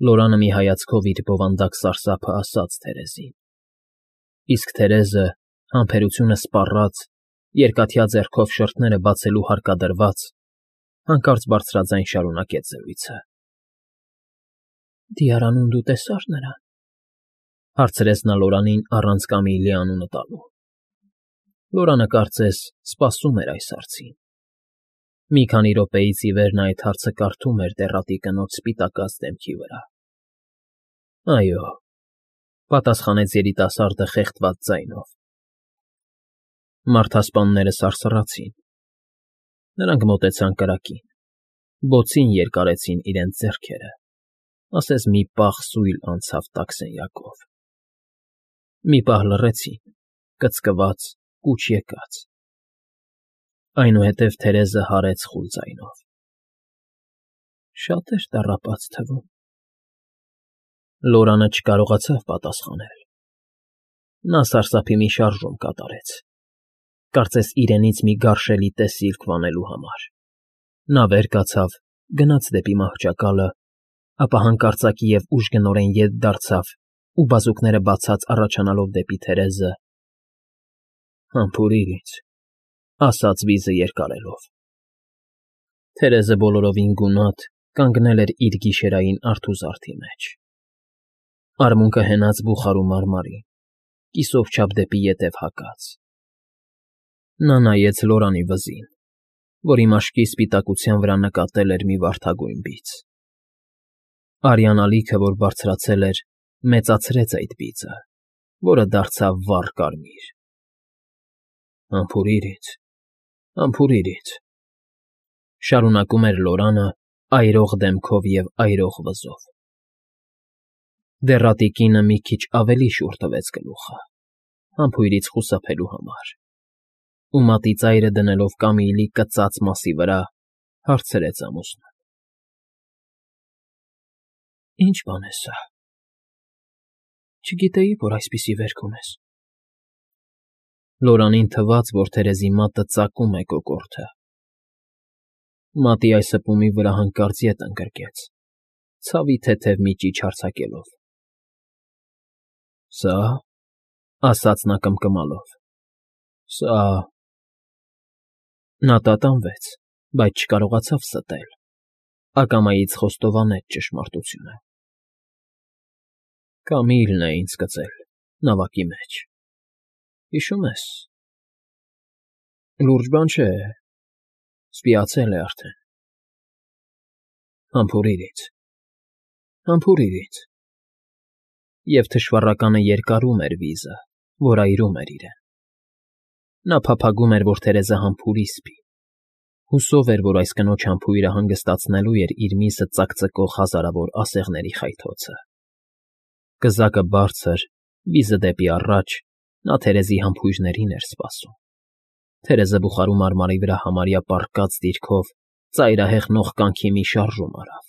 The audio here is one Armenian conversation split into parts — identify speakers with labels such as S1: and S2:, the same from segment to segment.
S1: Լորանը մի հայացքով իր բովանդակ սարսափը ասաց Թերեզին, իսկ Թերեզը, համբերությունը սպառած, երկաթյա ձեռքով շրթները բացելու հարկադրված, հանկարծ բարձրաձայն շարունակեց զրույցը. «Դիարանում դու տեսա՞ր նրան», հարցրեց նա Լորանին առանց Կամիլի անունը տալու։ Լորանը, կարծես, սպասում էր այս հարցին։ Մի քանի րոպեից ի վեր նա այդ հարցը կարդում էր դեռատի կնոջ սպիտակած դեմքի վրա։ «Այո», պատասխանեց երիտասարդը խեղդված ձայնով։ Մարդասպանները սարսռացին։ Նրանք մոտեցան կրակին, բոցին երկարեցին իրենց ձեռքերը, ասես մի պահ սույլ անցավ տաք սենյակով։ Մի պահ լռեցին, կծկված, կուչ եկած։ Այնուհետև Թերեզը հարեց խուլ ձայնով. «Շատ էր տառապած թվում»։ Լորանը չկարողացավ պատասխանել։ Նա սարսափի մի շարժում կատարեց, կարծես իրենից մի գարշելի տեսիլք վանելու համար։ Նա վեր կացավ, գնաց դեպի մահճակալը, ապա հանկարծակի և ուժգնորեն ետ դարձավ ու բազուկները բացած առաջանալով դեպի Թերեզը. «Համբուրիր ինձ», ասաց վիզը երկարելով։ Թերեզը բոլորովին գունատ կանգնել էր իր գիշերային արթուզարդի մեջ։ Արմունկը հենած բուխարու մարմարին, կիսով չափ դեպի ետև հակած։ Նա նայեց Լորանի վզին, որի մաշկի սպիտակության վրա նկատել էր մի վարդագույն բիծ։ Արյան ալիքը, որ բարձրացել էր, մեծացրեց այդ բիծը, որը դարձավ վառ կարմիր։ «Համբուրիր ինձ», շարունակում էր Լորանը այրող դեմքով և այրող վզով։ Դեռատի կինը մի քիչ ավելի շուռ տվեց գլուխը, համբույրից խուսափելու համար, ու մատի ծայրը դնելով Կամիլի կծած մասի վրա, հարցրեց ամուսնուն. «Ի՞նչ բան է սա։ Չգիտեի, որ այսպիսի վերք ունես»։ Լորանին թվաց, որ Թերեզի մատը ծակում է կոկորդը։ Մատի այս հպումի վրա հանկարծ ետ ընկրկեց, ցավի թեթև մի ճիչ արձակելով։ «Սա՞, ֊ ասաց նա կմկմալով, ֊ սա…»։ Նա տատանվեց, բայց չկարողացավ ստել, ակամայից խոստովանեց ճշմարտությունը։ «Կամիլն է ինձ կծել նավակի մեջ, հիշո՞ւմ ես։ Լուրջ բան չէ, սպիացել է արդեն։ Համբուրիր ինձ»։ Եվ թշվառականը երկարում էր վիզը, որ այրում էր իրեն։ Նա փափագում էր, որ Թերեզը համբուրի սպի, հուսով էր, որ այս կնոջ համբույրը հանգստացնելու էր իր միսը ծակծկող հազարավոր ասեղների խայթոցը։ Կզակը բարձր, վիզը դեպի առաջ, նա Թերեզի համբույրներին էր սպասում։ Թերեզը բուխարու մարմարի վրա համարյա պառկած դիրքով ծայրահեղ կյանքի մի շարժում արավ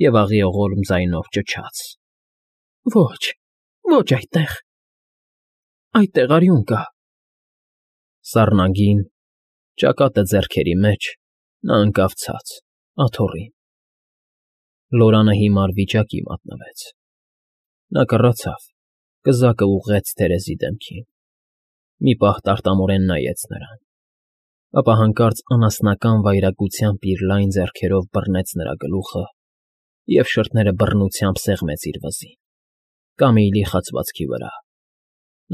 S1: և աղիողորմ ձայնով ճչաց. «Ոչ այդտեղ… Այդտեղ արյուն կա»։ Սառնագին, ճակատը ձեռքերի մեջ, նա ընկավ ցած, աթոռին։ Լորանը հիմար վիճակի մատնվեց։ Նա կռացավ, կզակը ուղղեց Թերեզի դեմքին։ Մի պահ տարտամորեն նայեց նրան, ապա հանկարծ անասնական վայրագությամբ իր լայն ձեռքերով բռնեց նրա գլուխը և շրթները բռնությամբ սեղմեց իր վզին, Կամիլի խացվածքի վրա։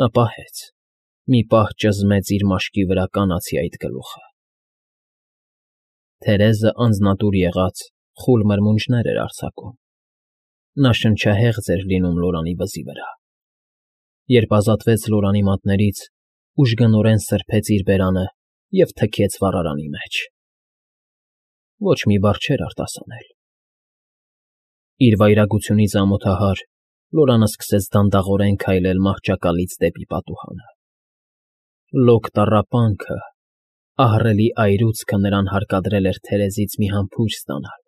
S1: Նա պահեց, մի պահ ճզմեց իր մաշկի վրա կանացի այդ գլուխը։ Թերեզը անձնատուր եղած խուլ մրմունջներ էր արձակում։ Նա շնչահեղձ էր լինում Լորանի վզի վրա։ Երբ ազատվեց Լորանի մատներից, ուժգնորեն սրբեց իր բերանը և թքեց վառարանի մեջ։ Ոչ մի բառ չէր արտասանել։ Իր վայրագությունից ամոթահար, Լորանը սկսեց դանդաղորեն քայլել մահճակալից դեպի պատուհանը։ Լոկ տառապանքը, ահռելի այրուցքը նրան հարկադրել էր Թերեզից մի համբույր ստանալ,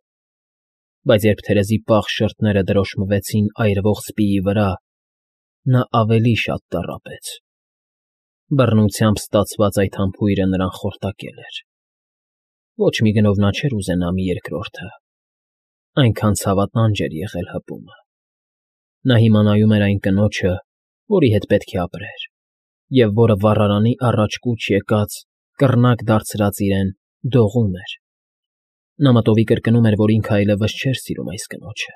S1: բայց երբ Թերեզի պաղ շրթները դրոշմվեցին այրվող սպիի վրա, նա ավելի շատ տառապեց։ Բռնությամբ ստացված այդ համբույրը նրան խորտակել էր։ Ոչ մի գնով նա չէր ուզենա մի երկրորդը։ Այնքան ցավատանջ էր եղել հպումը։ Նա հիմա նայում էր այն կնոջը, որի հետ պետք է ապրեր, և որը վառարանի առաջ կուչ եկած, կռնակ դարձրած իրեն, դողում էր։ Նա մտովի կրկնում էր, որ ինքը այլևս չէր սիրում այս կնոջը,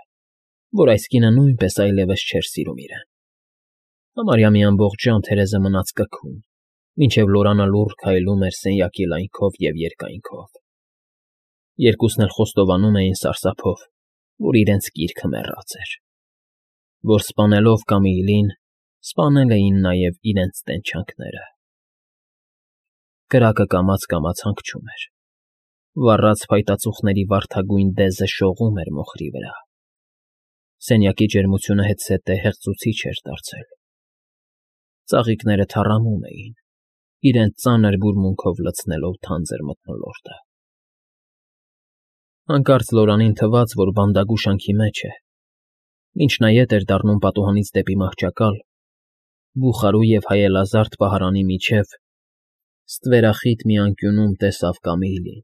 S1: որ այս կինը նույնպես այլևս չէր սիրում իրեն։ Համարյա մի ամբողջ ժամ Թերեզը մնաց կքում, մինչև Լորանը լուռ քայլում էր սենյակի լայնքով և երկայնքով։ Երկուսն էլ խոստովանում էին սարսափով, որ իրենց կիրքը մեռած էր, որ սպանելով Կամիլին, սպանել էին նաև իրենց տենչանքները։ Կրակը կամաց հանգչում էր։ Վառած փայտածուխների վարդագույն դեզը շողում էր մոխրի վրա։ Սենյակի ջերմությունը հետզհետե հեղձուցիչ էր դարձել։ Ծաղիկները թառամում էին, իրենց ծանր բուրմունքով լցնելով թանձր մթնոլորտը։ Հանկարծ Լորանին թվաց, որ բանդագուշանքի մեջ է։ Մինչ նա ետ էր դառնում պատուհանից դեպի մահճակալ, բուխարու և հայելազարդ պահարանի միջև ստվերախիտ մի անկյունում տեսավ Կամիլին։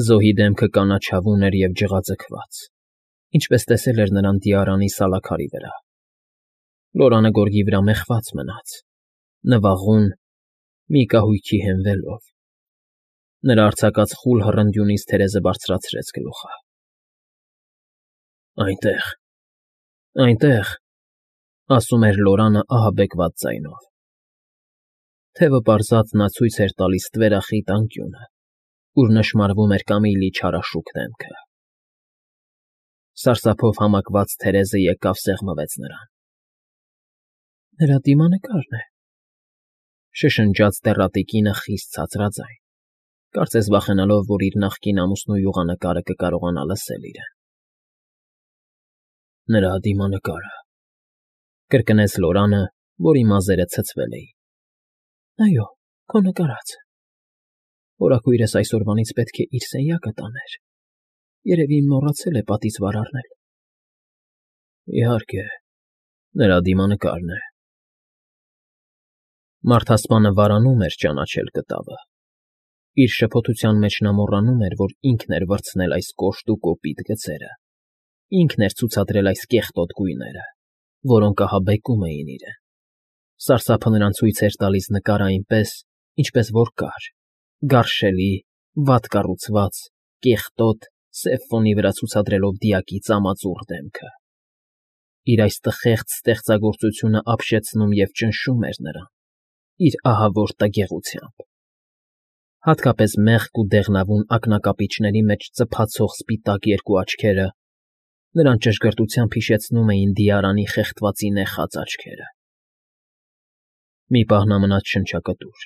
S1: Զոհի դեմքը կանաչավուն էր և ջղաձգված, ինչպես տեսել էր նրան Դիարանի սալաքարի վրա։ Լորանը գորգի վրա մեխված մնաց, նվաղուն, մի կահույքի հենվելով։ Նրա արձակած խուլ հռնդյունից Թերեզը բարձրացրեց գլուխը։ Այնտեղ, այնտեղ, ասում էր Լորանը ահաբեկված ձայնով։ Թևը պարզած նա ցույց էր տալիս ստվերախիտ անկյունը, ուր նշմարվում էր Կամիլի չարաշուք դեմքը։ Սարսափով համակված Թերեզը եկավ սեղմվեց նրան։ Նրա դիմանկարն է, շշնջաց դեռատի կինը խիստ ցածրաձայն, կարծես վախենալով, որ իր նախկին ամուսնու յուղանկարը կկարողանա լսել իրեն։ Նրա դիմանկարը, կրկնեց Լորանը, որի մազերը ցցվել էին։ Այո, քո նկարածը։ Հորաքույրս այսօրվանից պետք է իր սենյակը տաներ։ Երևի մոռացել է պատից վար առնել։ Իհարկե, նրա դիմանկարն է։ Մարդասպանը վարանում էր ճանաչել կտավը։ Իր շփոթության մեջ նա մոռանում էր, որ ինքն էր վրձնել այս կոշտ ու կոպիտ գծերը, ինքն էր ցուցադրել այս կեղտոտ գույները, որոնք ահաբեկում էին իրեն։ Սարսափը նրան ցույց էր տալիս նկարը այնպես, ինչպես որ կար, գարշելի, վատ կառուցված, կեղտոտ, սև ֆոնի վրա ցուցադրելով դիակի ծամածուռ դեմքը։ Իր այս տխեղծ ստեղծագործությունը ապշեցնում և ճնշում էր նրան, իր ահավոր տգեղությամբ։ Հատկապես մեղք ու դեղնավուն ակնակապիճների մեջ ծփացող սպիտակ երկու աչքերը նրան ճշգրտությամբ հիշեցնում էին Դիարանի խեղդվածի նեխած աչքերը։ Մի պահ նա մնաց շնչակտուր,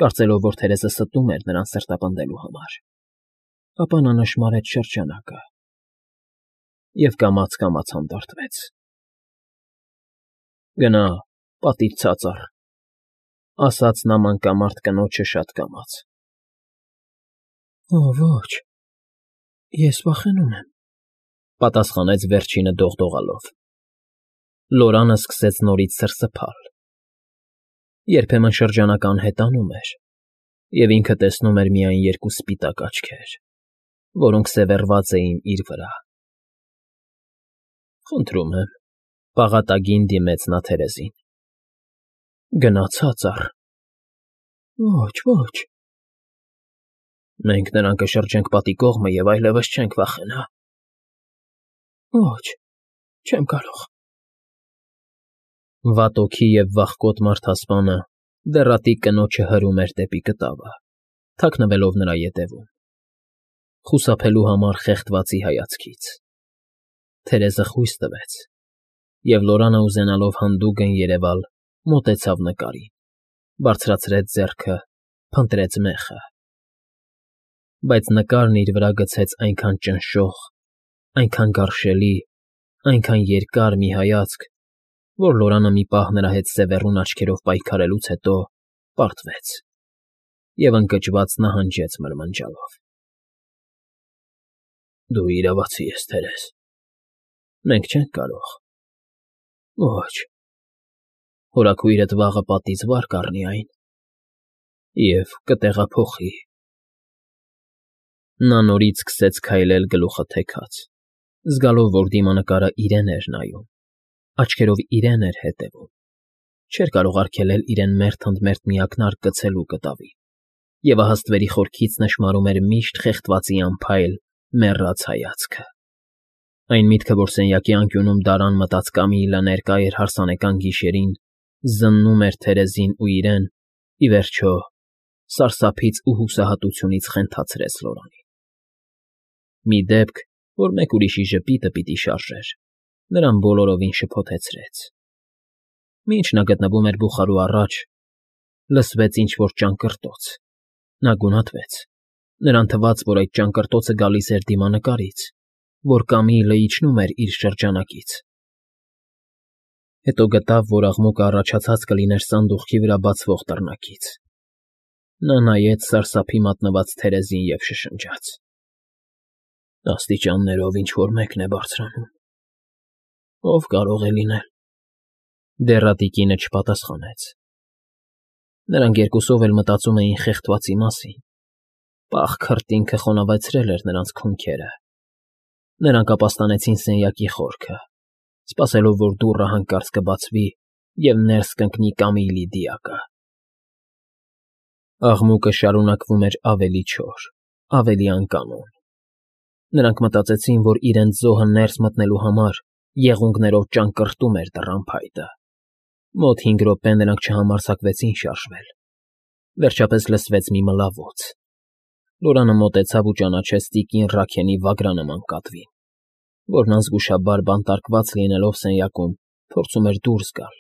S1: կարծելով, որ Թերեզը ստում էր նրան սրտապնդելու համար։ Ապա նա նշմարեց շրջանակը և կամաց հանդարտվեց։ Գնա, պատից ցած առ, ասաց նա մանկամարտ կնոջը շատ կամաց։ Ոչ, ես վախենում եմ, պատասխանեց վերջինը դողդողալով։ Լորանը սկսեց նորից սրսփալ։ Երբեմն շրջանակը անհետանում էր, և ինքը տեսնում էր միայն երկու սպիտակ աչքեր, որոնք սևեռված էին իր վրա։ Խնդրում եմ, պաղատագին դիմեց նա Թերեզին։ Գնա ցած առ։ Ոչ։ Մենք նրան կշրջենք պատի կողմը և այլևս չենք վախենա։ Ոչ, չեմ կարող։ Վատ օքի և վախկոտ մարդասպանը դեռատի կնոջը հրում էր դեպի կտավը, թաքնվելով նրա ետևում, խուսափելու համար խեղդվածի հայացքից։ Թերեզը խույս տվեց, և Լորանը ուզենալով հանդուգն երևալ, մոտեցավ նկարին, բարձրացրեց ձեռքը, փնտրեց մեխը։ Բայց նկարն իր վրա գցեց այնքան ճնշող, այնքան գարշելի, այնքան երկար մի հայացք, որ Լորանը մի պահ նրա հետ սևեռուն աչքերով պայքարելուց հետո պարտվեց և ընկճված նահանջեց մրմնջալով. Դու իրավացի ես, Թերեզ, մենք չենք կարող։ Ոչ, հորաքույրդ վաղը պատից վար կառնի այն և կտեղափոխի։ Նա նորից սկսեց քայլել գլուխը թեքած, զգալով, որ դիմանկարը իրեն էր նայում, աչքերով իրեն էր հետևում, չէր կարող արգելել իրեն մերթ ընդ մերթ մի ակնարկ գցելու կտավին, և ահա ստվերի խորքից նշմարում էր միշտ խեղդվածի անփայլ, մեռած հայացքը։ Այն միտքը, որ սենյակի անկյունում դարան մտած Կամիլը ներկա էր հարսանեկան գիշերին, զննում էր Թերեզին ու իրեն, ի վերջո, սարսափից ու հուսահատությունից խենթացրեց Լորանին։ Մի դեպք, որ մեկ ուրիշի ժպիտը պիտի շարժեր, նրան բոլորովին շփոթեցրեց։ Մինչ նա գտնվում էր բուխարու առաջ, լսվեց ինչ-որ ճանկռտոց։ Նա գունատվեց։ Նրան թվաց, որ այդ ճանկռտոցը գալիս էր դիմանկարից, որ Կամիլը իջնում էր իր շրջանակից։ Հետո գտավ, որ աղմուկը առաջացած կլիներ սանդուղքի վրա բացվող դռնակից։ Նա նայեց սարսափի մատնված Թերեզին և շշնջաց. «Աստիճաններով ինչ֊որ մեկն է բարձրանում։ Ո՞վ կարող է լինել»։ Դեռատիկինը չպատասխանեց։ Նրանք երկուսով էլ մտածում էին խեղդվածի մասին։ Պաղ քրտինքը խոնավեցրել էր նրանց քունքերը։ Նրանք ապաստանեցին սենյակի խորքը, սպասելով, որ դուռը հանկարծ կբացվի և ներս կընկնի Կամիլի դիակը։ Աղմուկը շարունակվում էր ավելի չոր, ավելի անկանոն։ Նրանք մտածեցին, որ իրենց զոհը ներս մտնելու համար եղունգներով ճանկռտում էր դռան փայտը։ Մոտ 5 րոպե նրանք չհամարձակվեցին շարժվել։ Վերջապես լսվեց մի մլավոց։ Լորանը մոտեցավ ու ճանաչեց տիկին Ռաքենի վագրանման կատվին, որն անզգուշաբար բանտարկված լինելով սենյակում, փորձում էր դուրս գալ,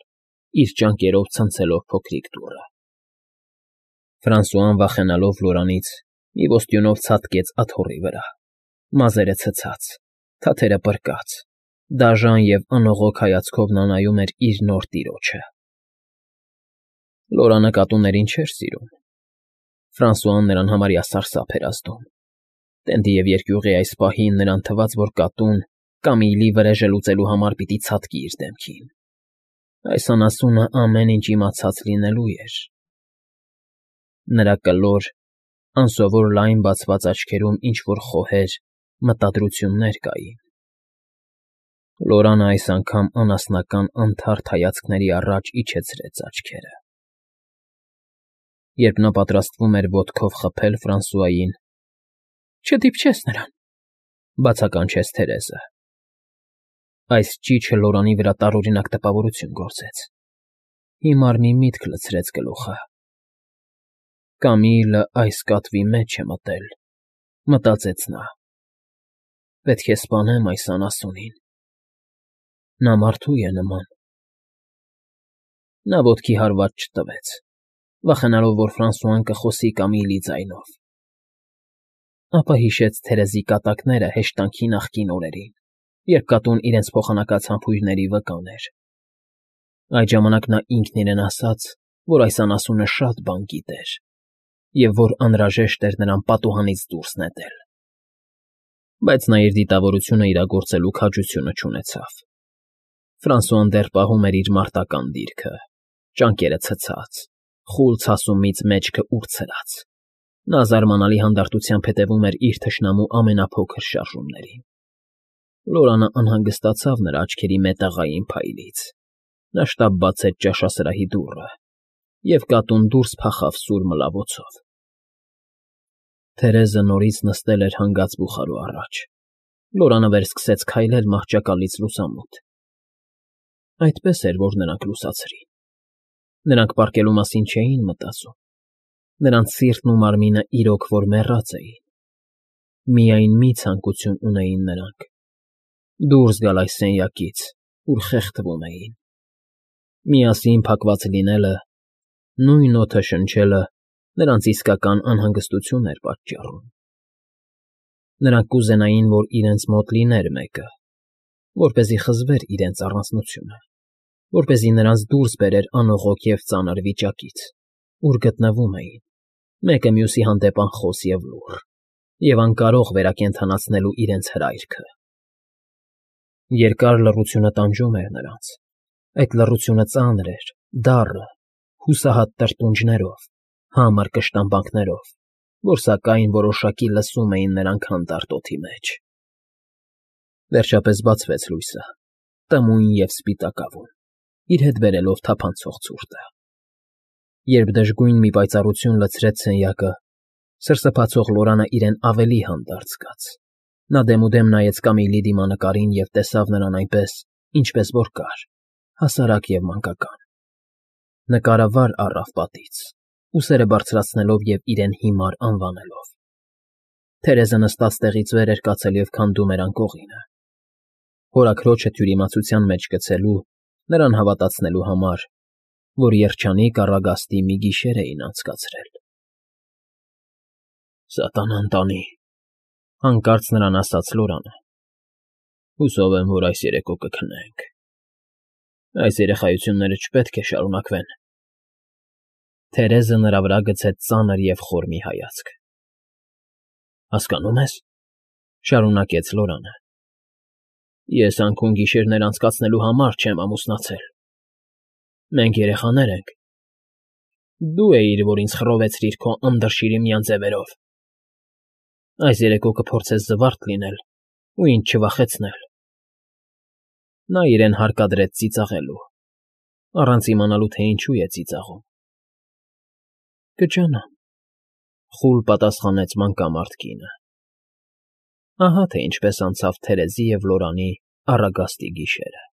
S1: իր ճանկերով ցնցելով փոքրիկ դուռը։ Ֆրանսուան, վախենալով Լորանից, մի ոստյունով ցատկեց աթոռի վրա, մազերը ցցած, թաթերը պրկած, դաժան և անողոք հայացքով նա նայում էր իր նոր տիրոջը։ Լորանը կատուներին չէր սիրում։ Ֆրանսուան նրան համարյա սարսափ էր ազդում։ Տենդի և երկյուղի այս պահին նրան թվաց, որ կատուն Կամիլի վրեժը լուծելու համար պիտի ցատկի իր դեմքին։ Այս անասունը ամեն ինչ իմացած լինելու էր։ Նրա կլոր, անսովոր լայն բացված աչքերում ինչ֊որ խոհեր, մտադրություններ կային։ Լորանը այս անգամ անասնական անթարթ հայացքների առաջ իջեցրեց աչքերը։ Երբ նա պատրաստվում էր ոտքով խփել Ֆրանսուային. «Չդիպչես նրան», բացականչեց Թերեզը։ Այս ճիչը Լորանի վրա տարօրինակ տպավորություն գործեց։ Հիմար մի միտք լցրեց գլուխը։ Կամիլը այս կատվի մեջ է մտել, մտածեց նա։ Պետք է սպանեմ այս անասունին։ Նա մարդու է նման։ Նա ոտքի հարված չտվեց, վախենալով, որ Ֆրանսուան կխոսի Կամիլի ձայնով։ Ապա հիշեց Թերեզի կատակները հեշտանքի նախկին օրերին, երբ կատուն իրենց փոխանակած համբույրների վկան էր։ Այդ ժամանակ նա ինքն իրեն ասաց, որ այս անասունը շատ բան գիտեր, և որ անհրաժեշտ էր նրան պատուհանից դուրս նետել։ Բայց նա իր դիտավորությունը իրագործելու քաջությունը չունեցավ։ Ֆրանսուան դեռ պահում էր իր մարտական դիրքը, ճանկերը ցցած, խուլ ցասումից մեջքը ուրցրած։ Նա զարմանալի հանդարտությամբ հետևում էր իր թշնամու ամենափոքր շարժումներին։ Լորանը անհանգստացավ նրա աչքերի մետաղային փայլից։ Նա շտապ բացեց ճաշասրահի դուռը, և կատուն դուրս փախավ սուր մլավոցով։ Թերեզը նորից նստել էր հանգած բուխարու առաջ։ Լորանը վերսկսեց քայլել մահճակալից լուսամուտ։ Այդպես էր, որ նրանք լուսացրին։ Նրանք պառկելու մասին չէին մտածում։ Նրանց սիրտն ու մարմինը իրոք որ մեռած էին։ Միայն մի ցանկություն ունեին նրանք՝ դուրս գալ այս սենյակից, ուր խեղդվում էին։ Միասին փակված լինելը, նույն օդը շնչելը նրանց իսկական անհանգստություն էր պատճառում։ Նրանք կուզենային, որ իրենց մոտ լիներ մեկը, որպեսզի խզվեր իրենց առանձնությունը, որպեսզի նրանց դուրս բերեր անողոք և ծանր վիճակից, ուր գտնվում էին, մեկը մյուսի հանդեպ անխոս և լուռ, և անկարող վերակենդանացնելու իրենց հրայրքը։ Երկար լռությունը տանջում էր նրանց։ Այդ լռությունը ծանր էր, դառը, հուսահատ տրտունջներով, համր կշտամբանքներով, որ սակայն որոշակի լսում էին նրանք հանդարտ օդի մեջ։ Վերջապես բացվեց լույսը, տմույն և սպիտակավուն, իր հետ բերելով թափանցող ցուրտը։ Երբ դժգույն մի պայծառություն լցրեց սենյակը, սրսփացող Լորանը իրեն ավելի հանդարտ զգաց։ Նա դեմուդեմ նայեց Կամիլի դիմանկարին և տեսավ նրան այնպես, ինչպես որ կար, հասարակ և մանկական։ Նկարը վար առավ պատից, ուսերը բարձրացնելով և իրեն հիմար անվանելով։ Թերեզը նստած տեղից վեր էր կացել և քանդում էր անկողինը։ Հորաքրոջը թյուրիմացության մեջ գցելու, նրան հավատացնելու համար, որ երջանիկ առագաստի մի գիշեր էին անցկացրել։ «Սատանան տանի,֊ հանկարծ նրան ասաց Լորանը։֊ Հուսով եմ, որ այս երեկո կքնենք։ Այս երեխայությունները չպետք է շարունակվեն»։ Թերեզը նրա վրա գցեց ծանր և խոր մի հայացք։ «Հասկանո՞ւմ ես,֊ շարունակեց Լորանը,֊ ես անքուն֊գիշերներ անցկացնելու համար չեմ ամուսնացել։ Մենք երեխաներ ենք։ Դու էիր, որ ինձ խռովեցրիր քո անդրշիրիմյան ձևերով։ Այս երեկո կփորձես զվարթ լինել ու ինձ չվախեցնել»։ Նա իրեն հարկադրեց ծիծաղելու, առանց իմանալու, թե ինչու է ծիծաղում։ «Կջանամ,֊ խուլ պատասխանեց մանկամարդ կինը։ Ահա թե ինչպես անցավ Թերեզի և Լորանի առագաստի գիշերը։